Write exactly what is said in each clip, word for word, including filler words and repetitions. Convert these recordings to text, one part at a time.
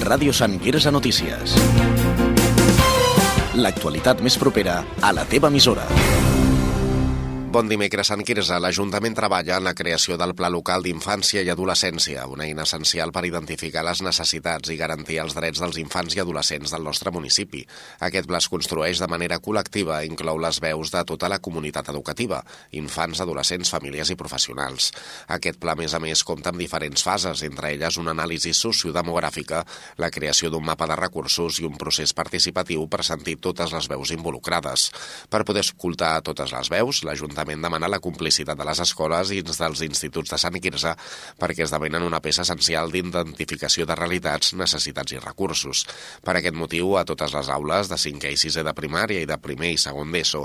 Ràdio Sant Quirze Notícies. L'actualitat més propera a la teva emissora. Bon dimecres, Sant Quirze. L'Ajuntament treballa en la creació del Pla Local d'Infància i Adolescència, una eina essencial per identificar les necessitats i garantir els drets dels infants i adolescents del nostre municipi. Aquest pla es construeix de manera col·lectiva i inclou les veus de tota la comunitat educativa, infants, adolescents, famílies i professionals. Aquest pla, a més a més, compta amb diferents fases, entre elles una anàlisi sociodemogràfica, la creació d'un mapa de recursos i un procés participatiu per sentir totes les veus involucrades. Per poder escoltar totes les veus, l'Ajuntament L'Ajuntament demana la complicitat de les escoles i dels instituts de Sant Quirze perquè esdevenen una peça essencial d'identificació de realitats, necessitats i recursos. Per aquest motiu, a totes les aules de cinquè i sisè de primària i de primer i segon d'ESO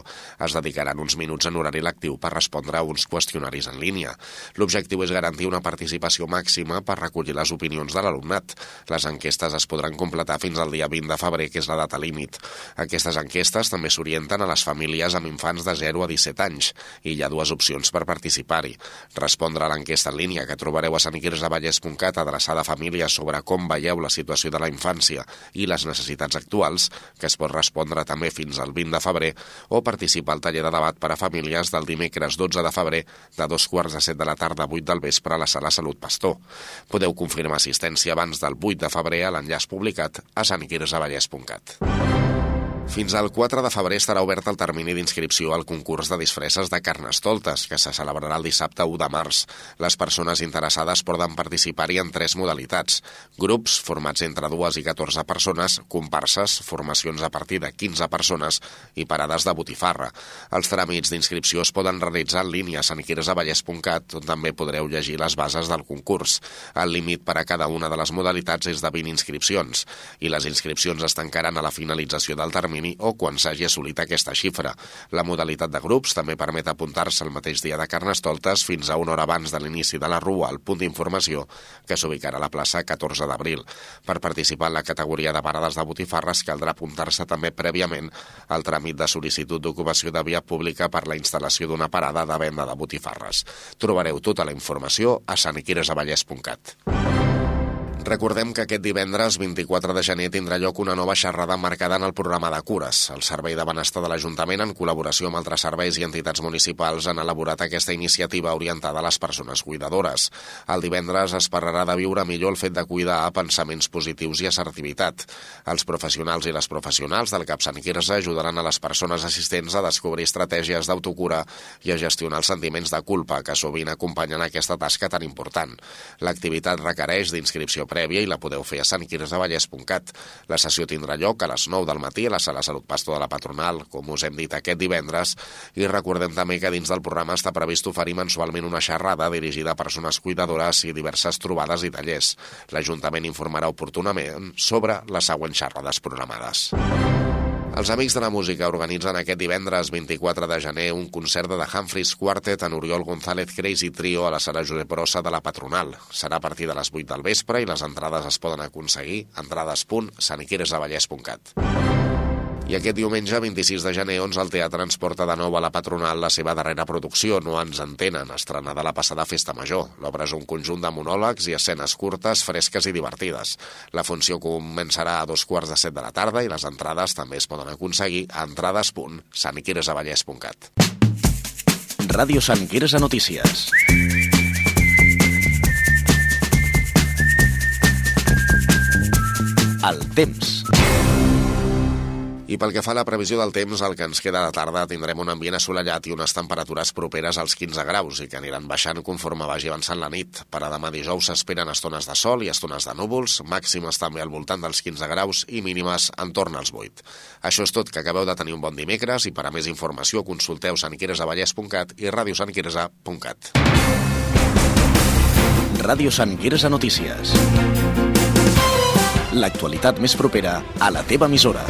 es dedicaran uns minuts en horari lectiu per respondre a uns qüestionaris en línia. L'objectiu és garantir una participació màxima per recollir les opinions de l'alumnat. Les enquestes es podran completar fins al dia vint de febrer, que és la data límit. Aquestes enquestes també s'orienten a les famílies amb infants de zero a disset anys. I hi ha dues opcions per participar-hi. Respondre a l'enquesta en línia que trobareu a sant quirze vallès punt cat adreçada a famílies sobre com veieu la situació de la infància i les necessitats actuals, que es pot respondre també fins al vint de febrer, o participar al taller de debat per a famílies del dimecres dotze de febrer de dos quarts de set de la tarda a vuit del vespre a la Sala Salut Pastor. Podeu confirmar assistència abans del vuit de febrer a l'enllaç publicat a sant quirze vallès punt cat. Fins al quatre de febrer estarà obert el termini d'inscripció al concurs de disfresses de Carnestoltes, que se celebrarà el dissabte u de març. Les persones interessades poden participar-hi en tres modalitats: grups formats entre dues i catorze persones, comparses, formacions a partir de quinze persones i parades de botifarra. Els tràmits d'inscripció es poden realitzar en línia a sant quirze vallès punt cat, on també podreu llegir les bases del concurs. El límit per a cada una de les modalitats és de vint inscripcions, i les inscripcions es tancaran a la finalització del termini o quan s'hagi assolit aquesta xifra. La modalitat de grups també permet apuntar-se el mateix dia de Carnestoltes fins a una hora abans de l'inici de la rua al punt d'informació que s'ubicarà a la plaça catorze d'abril. Per participar en la categoria de parades de botifarres caldrà apuntar-se també prèviament al tràmit de sol·licitud d'ocupació de via pública per la instal·lació d'una parada de venda de botifarres. Trobareu tota la informació a sant quirze vallès punt cat. Recordem que aquest divendres vint-i-quatre de gener tindrà lloc una nova xerrada marcada en el programa de cures. El Servei de Benestar de l'Ajuntament, en col·laboració amb altres serveis i entitats municipals, han elaborat aquesta iniciativa orientada a les persones cuidadores. El divendres es parlarà de viure millor el fet de cuidar, pensaments positius i assertivitat. Els professionals i les professionals del CAP Sant Quirze ajudaran a les persones assistents a descobrir estratègies d'autocura i a gestionar els sentiments de culpa que sovint acompanyen aquesta tasca tan important. L'activitat requereix d'inscripció prèvia i la podeu fer a sant quirze vallès punt cat. La sessió tindrà lloc a les nou del matí a la Sala Salut Pastor de la Patronal, com us hem dit aquest divendres, i recordem també que dins del programa està previst oferir mensualment una xerrada dirigida a persones cuidadores i diverses trobades i tallers. L'Ajuntament informarà oportunament sobre les següents xerrades programades. Els Amics de la Música organitzen aquest divendres vint-i-quatre de gener un concert de The Humphreys Quartet en Oriol González Crazy Trio a la Sala Josep Brossa de la Patronal. Serà a partir de les vuit del vespre i les entrades es poden aconseguir a entrades punt sant quirze vallès punt cat. I aquest diumenge, vint-i-sis de gener, onze, el teatre ens porta de nou a la Patronal la seva darrera producció, No ens entenen, estrenada a la passada Festa Major. L'obra és un conjunt de monòlegs i escenes curtes, fresques i divertides. La funció començarà a dos quarts de set de la tarda i les entrades també es poden aconseguir a entrades punt sant quirze vallès punt cat. Ràdio Sant Quirze Notícies. El temps. I pel que fa a la previsió del temps, el que ens queda de tarda tindrem un ambient assolellat i unes temperatures properes als quinze graus i que aniran baixant conforme vagi avançant la nit. Per a demà dijous s'esperen estones de sol i estones de núvols, màximes també al voltant dels quinze graus i mínimes entorn als vuit. Això és tot, que acabeu de tenir un bon dimecres i per a més informació consulteu sant quirze vallès punt cat i ràdio sant quirze punt cat. Ràdio Sant Quirze Notícies. L'actualitat més propera a la teva emissora.